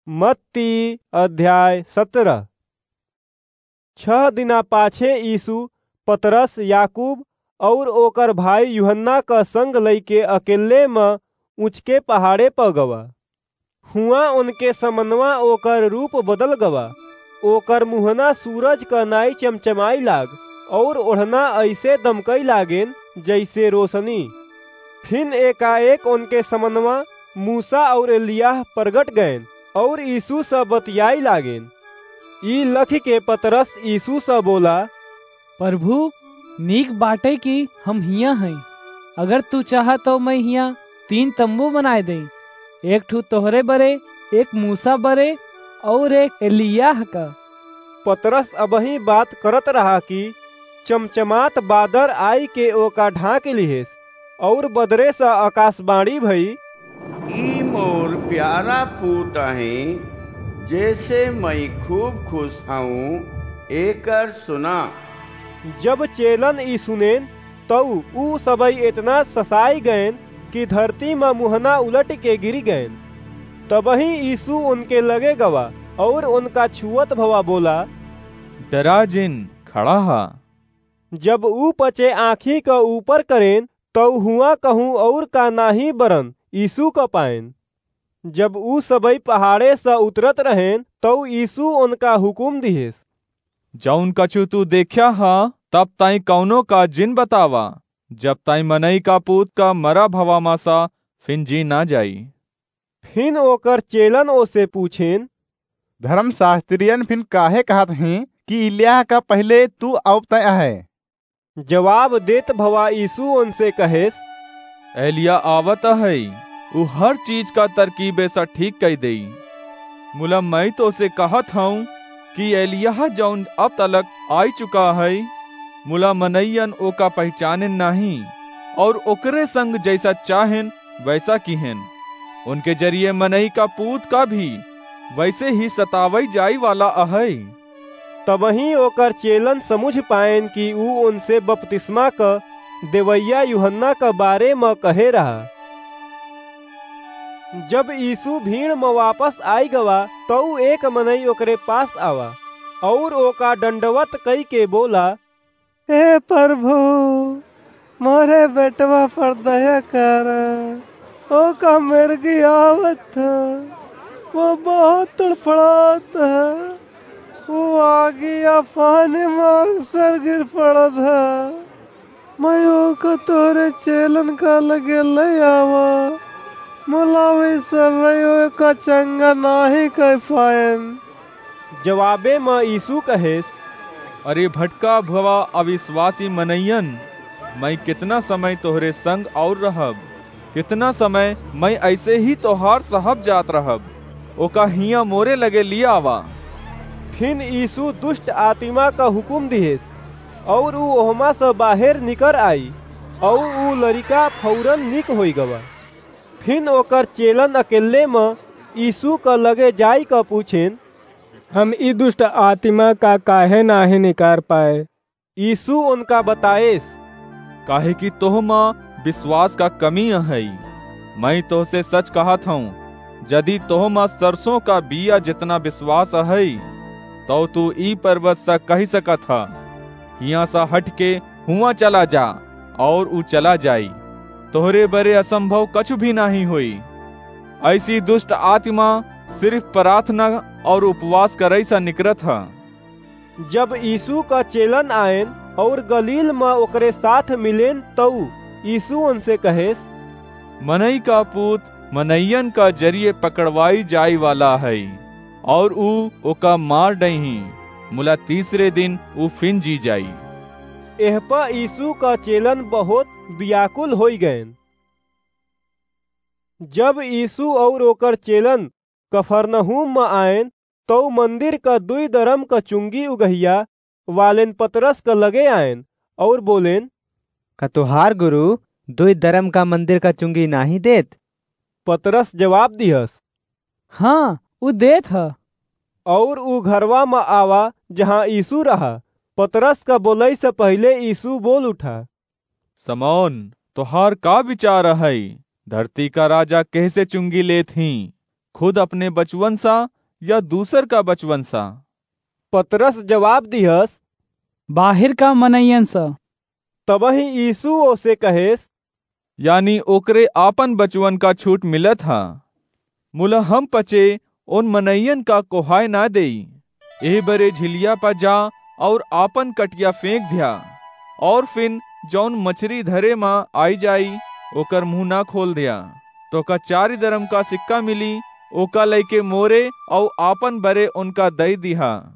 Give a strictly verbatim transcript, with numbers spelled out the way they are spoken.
मत्ती अध्याय सतरह। छह दिना पाछे यीशु पतरस, याकूब अउर ओकर भाई यूहन्ना क संग लइके अकेल्ले म ऊँचके पहाड़े प गवा। हुआँ ओनके समनवा ओकर रूप बदल गवा। ओकर मुहना सूरज क नाई चमचमाई लाग, अउर ओढ़ना अइसे दमकई लागेन, जइसे रोसनी। फिन एकाएक ओनके समनवा मूसा अउर एलियाह परगट गएन, अउर यीशु स बतियाई लागेन। ई लखिके पतरस यीशु स बोला, "प्रभु, नीक बाटे कि हम हियाँ हई। अगर तू चाह तउ मैं हियाँ तीन तम्बू बनाए देई, एक ठू तोहरे बरे, एक मूसा बरे, अउर एक एलियाह का।" पतरस अबहीं बात करत रहा कि चमचमात बादर आइके ओका ढाँकि लिहेस, अउर बदरे स अकासबाणी भई, "ई मोर प्यारा पूत अहें, जेसे मई खूब खुस हऊँ, एकर सुना।" जब चेलन ई सुनेन, तउ ऊ सबई एतना ससाई गएन कि धरती म मुहना उलटिके गिरि गएन। तबहीं यीशु ओनके लगे गवा अउर ओनका छुअत भवा बोला, "डरा जिन, खड़ा ह।" जब ऊ पचे आँखी क ऊपर करेन, तउ हुआँ कहूँ अउर का नाहीं बरन यीशु क पाएन। जब ऊ सबई पहाड़े स उतरत रहेन, तउ यीशु ओनका हुकुम दिहेस, "जउन कछु तू देख्या ह, तब ताईं कउनो का जिन बतावा, जब ताईं मनई का पूत का मरा भवा म स फिन जी न जाई।" फिन ओकर चेलन ओसे पूछेन, "धर्मशास्त्रियन फिन काहे कहत हीं कि एलियाह का पहिले तू अउब तय अहै?" जवाब देत भवा यीशु ओनसे कहेस, "एलियाह आवत अहै, ऊ हर चीज का तरकीबे स ठीक कइ देई। मुला मई तोसे कहत हऊँ कि एलियाह जउन अब तलक आइ चुका है, मुला मनइयन ओका पहिचानेन नाहीं, अउर ओकरे संग जइसा चाहेन वइसा किहेन। ओनके जरिये मनई का पूत का भी वइसे ही सतावइ जाइवाला अहइ।" तबहीं ओकर चेलन समुझ पाएन कि ऊ ओनसे बपतिस्मा क देवइया यूहन्ना क बारे म कहे रहा। जब यीशु भीड़ म वापस आइ गवा, तउ एक मनई ओकरे पास आवा, अउर ओका दंडवत कइके बोला, "हे प्रभु, मोरे बेटवा पर दया कर, ओका मिर्गी आवत ह, ऊ बहुत तड़फड़ात ह, ऊ आगी आ पानी म अक्सर गिर पड़त ह। मई ओका तोरे चेलन का लगे लइ आवा, मुला वे सबई ओका चंगा नाहीं कइ पाएन।" जवाबे म यीशु कहेस, "अरे भटका भवा अविश्वासी मनइयन, मई केतना समय तोहरे संग अउर रहब? केतना समय मई अइसे ही तोहार सहब जात रहब? ओका हियाँ मोरे लगे लिआवा।" फिन यीशु दुष्ट आतिमा क हुकुम दिहेस, अउर ऊ ओहमा स बाहेर निकर आई, अउर ऊ लरिका फौरन निक होइ गवा। फिन ओकर चेलन अकेल्ले म यीशु क लगे जाइक पूछेन, "हम ई दुष्ट आतिमा का काहे नाहीं निकार पाए?" यीशु ओनका बताएस, "काहे कि तोहमा बिस्वास का कमी अहइ। मई तोहसे सच कहत हऊँ, जदि तोहमा सरसों का बीया जेतना बिस्वास अहइ, तउ तू ई परबत स कहि सकत ह, 'हियाँ स हटिके हुआँ चला जा,' अउर ऊ चला जाई। तोहरे बरे असंभव कछु भी नाहीं होई।" अइसी दुष्ट आतिमा सिरिफ प्रार्थना अउर उपवास करइ स निकरत ह। जब यीशु क चेलन आएन अउर गलील म ओकरे साथ मिलेन, तउ यीशु ओनसे कहेस, "मनई का पूत मनइयन का जरिये पकड़वाई जाइवाला हइ, अउर ऊ ओका मार डइहीं, मुला तीसरे दिन ऊ फिन जी जाई।" एह प यीशु क चेलन बहुत बियाकुल होइ गएन। जब यीशु अउर ओकर चेलन कफरनहूम म आएन, तउ मंदिर क दुई दरम क चुंगी उगहिया वालेन पतरस क लगे आएन अउर बोलेन, "का तोहार गुरु दुई दरम का मंदिर क चुंगी नाहीं देत?" पतरस जवाब दिहस, "हाँ, ऊ देत ह।" अउर ऊ घरवा म आवा, जहाँ यीशु रहा। पतरस क बोलइ स पहिले यीशु बोल उठा, "समौन, तोहार का विचार अहइ? धरती का राजा केहसे चुंगी लेत हीं? खुद अपने बचवन सा या दूसर का बचवन सा?" पतरस जवाब दिहस, "बाहिर का मनइयन सा।" तबहीं यीशु ओसे कहेस, "यानी ओकरे आपन बचवन का छूट मिलत हा, मुला हम पचे उन मनइयन का कोहाय ना देई। एह बरे झिलिया पा जा और आपन कटिया फेंक द्या, और फिन जौन मछरी धरे मा आई जाई, ओकर मुंह ना खोल द्या। तोका चारि दरम का सिक्का मिली, ओका लइके मोरे और आपन बरे उनका दई दिहा।"